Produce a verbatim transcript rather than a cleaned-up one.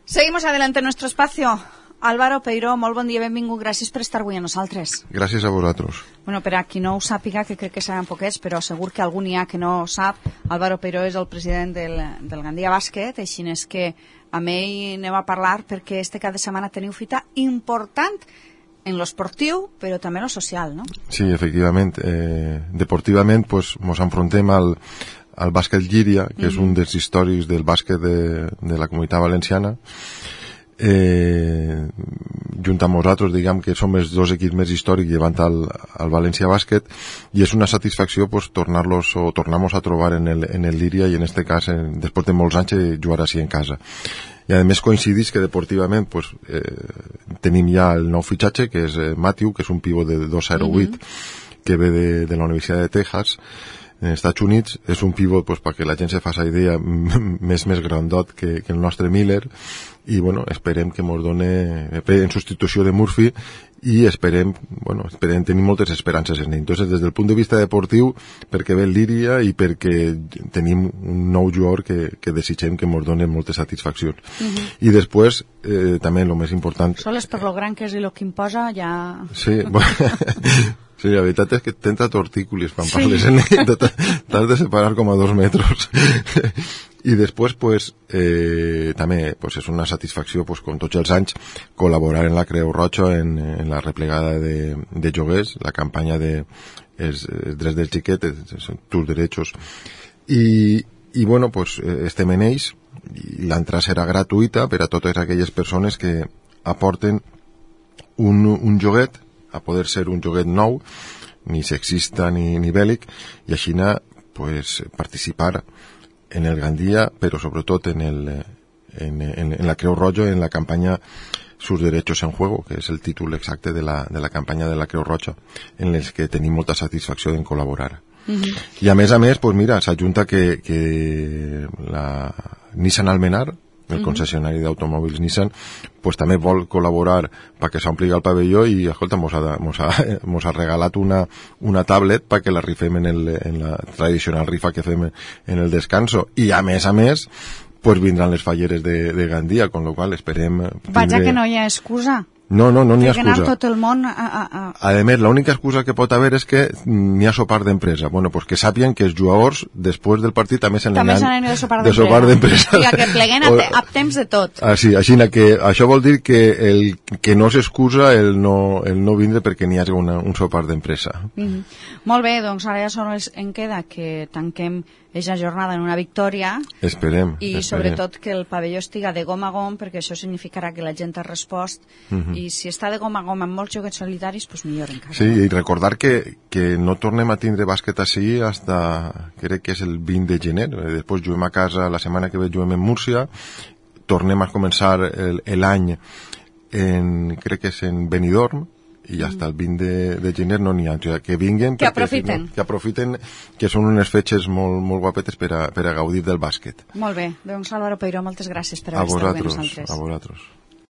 Seguimos adelante en nuestro espacio. Álvaro Peiró, molt bon dia, benvingut, gràcies per estar avui amb nosaltres. Gràcies a vosaltres. Bueno, per a qui no ho sàpiga, que crec que seran poquets, però segur que algun hi ha que no sap, Álvaro Peiró és el president del, del Gandia Bàsquet, així és que amb ell anem a parlar perquè este cap de setmana teniu fita important en lo esportiu, però també en lo social, no? Sí, efectivament. Eh, deportivament, pues, ens enfrontem al, al bàsquet Llíria, que mm-hmm. és un dels històrics del bàsquet de, de la Comunitat Valenciana. Eh, junt amb nosaltres, diguem que som els dos equips més històrics llevant al, al València Bàsquet, i és una satisfacció pues, tornar-los o tornar-nos a trobar en el, en el Llíria, i en este cas, en, després de molts anys, eh, jugar així en casa. I a més coincidís que deportivament pues, eh, tenim ja el nou fitxatge, que és eh, Matthew, que és un pivot de dos zero vuit, mm-hmm. que ve de, de la Universitat de Texas, en els Estats Units. És un pivot, pues, perquè la gent se faci idea, més més grandot que, que el nostre Miller, i bueno, esperem que ens done en substitució de Murphy, i esperem, bueno, esperem tenir moltes esperances en ell. Entonces, des del punt de vista deportiu, perquè ve el Llíria i perquè tenim un nou jugador que, que desitgem que ens done moltes satisfaccions. Uh-huh. I després, eh, també el més important... Soles per lo gran que és i el que imposa, ja... Sí, bueno... Sí, la veritat és que tenta tortícolis quan sí. parles en ell, t'has de separar com a dos metres. I després, pues, eh, també pues, és una satisfacció, pues, com tots els anys, col·laborar en la Creu Roja en, en la replegada de, de lloguers, la campanya de els, els drets dels xiquets, tus derechos. I, i bueno, pues, estem en ells, i l'entrada serà gratuïta per a totes aquelles persones que aporten un, un lloguet, a poder ser un joguet nou, ni sexista ni, ni bèl·lic, i així pues, participar en el Gandia, però sobretot en, el, en, en, en la Creu Roja, en la campanya Sus Derechos en Juego, que és el títol exacte de la, de la campanya de la Creu Roja, en els que tenim molta satisfacció en col·laborar. Uh-huh. I a més a més, pues mira, s'ajunta que, que la Nissan Almenar, el concessionari d'automòbils Nissan, pues també vol col·laborar perquè s'ompli el pavelló, i escolta, mos ha, mos ha, mos ha regalat una, una tablet perquè la rifem en, el, en la tradicional rifa que fem en el descanso, i a més a més pues vindran les falleres de, de Gandia, con lo qual esperem... Vaja que no hi ha excusa. No, no, no n'hi ha excusa. excusa. Que anar tot el món a... a, a... A més, l'única excusa que pot haver és que n'hi ha sopar d'empresa. Bueno, pues que sàpien que els jugadors, després del partit, també se n'aniran de sopar d'empresa. De sopar d'empresa. I que pleguen a, te, a temps de tot. Ah, sí, així que això vol dir que el que no s'excusa el no, el no vindre perquè n'hi hagi una, un sopar d'empresa. Mm-hmm. Molt bé, doncs ara ja sols en queda que tanquem aquesta jornada en una victòria. Esperem. I esperem. sobretot que el pavelló estiga de gom a gom, perquè això significarà que la gent ha respost, mm-hmm. i si està de gom a gom amb molts jocs solitaris, doncs millor encara. Sí, i recordar que, que no tornem a tindre bàsquet així hasta, crec que és el vint de gener. Després juguem a casa, la setmana que ve juguem en Múrcia, tornem a començar l'any en, crec que és en Benidorm, i ja està, el vint de, de gener no n'hi ha, o sigui, que vinguin, que aprofiten, no, que aprofiten, que són unes fetges molt, molt guapetes per a, per a gaudir del bàsquet. Molt bé, doncs Álvaro Peiró, moltes gràcies per haver estat amb nosaltres. A vosaltres.